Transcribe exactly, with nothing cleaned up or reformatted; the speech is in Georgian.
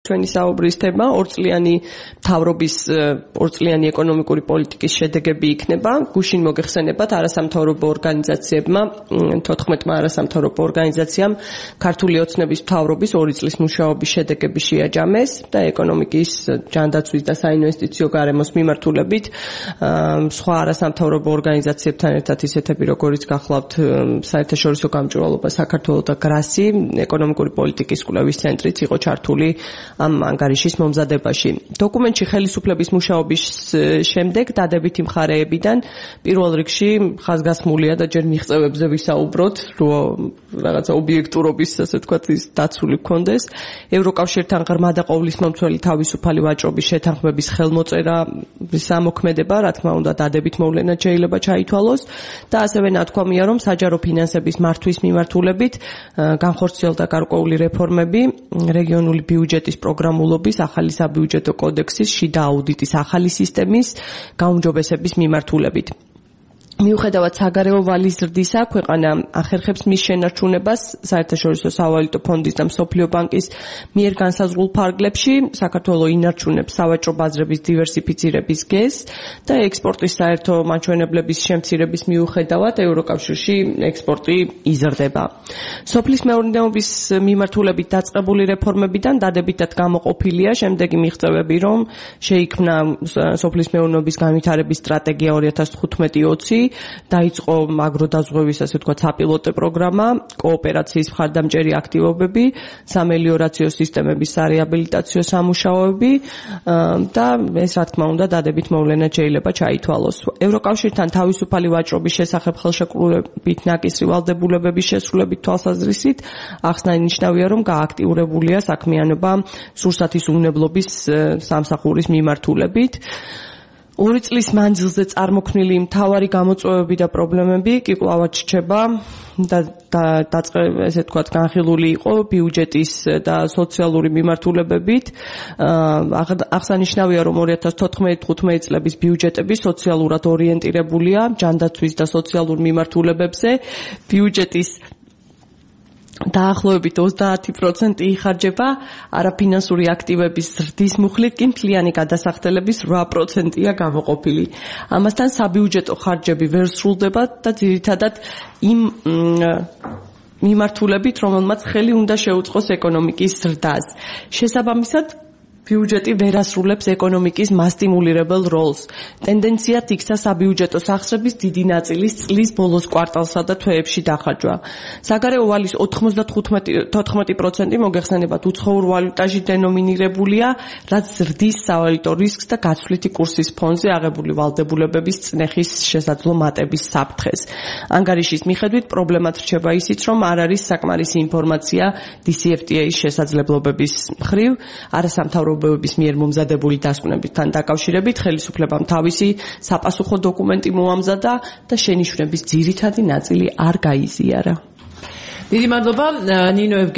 ჩვენი საუბრის თემა ორწლიანი მთავრობის ორწლიანი ეკონომიკური პოლიტიკის შედეგები იქნება. გუშინ მოგეხსენებათ არასამთავრობო ორგანიზაციებმა, თოთხმეტმა არასამთავრობო ორგანიზაციამ ქართული ოცნების მთავრობის ორი წლის მუშაობის შედეგები შეაჯამეს და ეკონომიკის ჯანდაცვის და საინვესტიციო გარემოს მიმართულებით სხვა არასამთავრობო ორგანიზაციებთან ერთად ისეთები, როგორიც გახლავთ საერთაშორისო გამჭვირვალობა საქართველოს და გრასი, ეკონომიკური პოლიტიკის კვლევის ცენტრიც იყო ჩართული ამ ანგარიშის მომზადებაში. დოკუმენტში ხელისუფლების მუშაობის შემდეგ დადებითი მხარეებიდან პირველ რიგში ხაზგასმულია და ჯერ მიღწევებზე ვისაუბროთ, რომ რაღაცა ობიექტურობის, ასე ვთქვათ, ის დაცული გქონდეს. ევროკავშირთან ღრმა და ყოვლისმომცველი თავისუფალი ვაჭრობის შეთანხმების ხელმოწერა სამოქმედება, რა თქმა უნდა, დადებით მოვლენად შეიძლება ჩაითვალოს და ასევე ნათქვამია, რომ საჯარო ფინანსების მართვის მიმართულებით განხორციელდა გარკვეული რეფორმები, რეგიონული ბიუჯეტის პროგრამულობის, ახალი საბიუჯეტო კოდექსის, შიდა აუდიტის ახალი სისტემის გაუმჯობესების მიმართულებით. მიუხედავად საგარეო ვალის ზრდისა, ქვეყანა ახერხებს მის შენარჩუნებას საერთაშორისო სავალუტო ფონდის და მსოფლიო ბანკის მიერ განსაზღვრულ ფარგლებში. საქართველოს ინარჩუნებს სავაჭრო ბაზრების დივერსიფიცირების გეზს და ექსპორტის საერთო მაჩვენებლების შემცირების მიუხედავად ევროკავშირში ექსპორტი იზრდება. სოფლის მეურნეობის მიმართულებით დაწყებული რეფორმებიდან დადებითად გამოყოფილია შემდეგი მიღწევები, რომ შეიქმნა სოფლის მეურნეობის განვითარების სტრატეგია ორი ათას თხუთმეტი ოცი, დაიწყო აგროდაზღვევის, ასე ვთქვათ, საპილოტო პროგრამა, კოოპერაციის მხარდამჭერი აქტივობები, სამელიორაციო სისტემების სარეაბილიტაციო სამუშაოები და ეს, რა თქმა უნდა, დადებით მოვლენად შეიძლება ჩაითვალოს. ევროკავშირთან თავისუფალი ვაჭრობის შესახებ ხელშეკრულებით ნაკისრი ვალდებულებების შესრულებით თვალსაზრისით აღსანიშნავია, რომ გააქტიურებულია საქმიანობა სურსათის უნებლობის სამსახურის მიმართულებით. ორი წლის მანძილზე წარმოქმნილი მთავარი გამოწვევები და პრობლემები კი კვლავ რჩება და ესე ვთქვათ, განხილული იყო ბიუჯეტის და სოციალური მიმართულებებით. აღსანიშნავია, რომ ორი ათას თოთხმეტი თხუთმეტი წლების ბიუჯეტები სოციალურად ორიენტირებულია ჯანდაცვის და სოციალურ მიმართულებებზე. ბიუჯეტის დაახლოებით ოცდაათი პროცენტი იხარჯება არაფინანსური აქტივების ზრდის მუხლით, კი მთლიანი გადასახდელების რვა პროცენტია გამოყოფილი. ამასთან საბიუჯეტო ხარჯები ვერ სრულდება და ძირითადად იმ მიმართულებით, რომელმაც ხელი უნდა შეუწყოს ეკონომიკის ზრდას. შესაბამისად, ბიუჯეტი ვერ ასრულებს ეკონომიკის მასტიმულირებელ როლს. ტენდენციად იქცა საბიუჯეტო სახსრების დიდი ნაწილის წლის ბოლოს კვარტალსა და თვეებში დახარჯვა. საგარეო ვალის თოთხმეტი პროცენტი მოგეხსენებათ უცხოურ ვალუტაში დენომინირებულია, რაც ზრდის სავალუტო რისკს და გაცვლითი კურსის ფონზე აღებული ვალდებულებების წნეხის შესაძლო მატების საფრთხეს. ანგარიშის მიხედვით პრობლემად რჩება ისიც, რომ არ არის საკმარისი ინფორმაცია დი სი ეფ ტი ეის შესაძლებლობების მხრივ, არასამთავრობო ობის მიერ მომზადებული დასკვნებთან დაკავშირებით ხელისუფლებამ თავისი საპასუხო დოკუმენტი მოამზადა და შენიშვნების ძირითადი ნაწილი არ გაიზიარა. დიდი მადლობა ნინო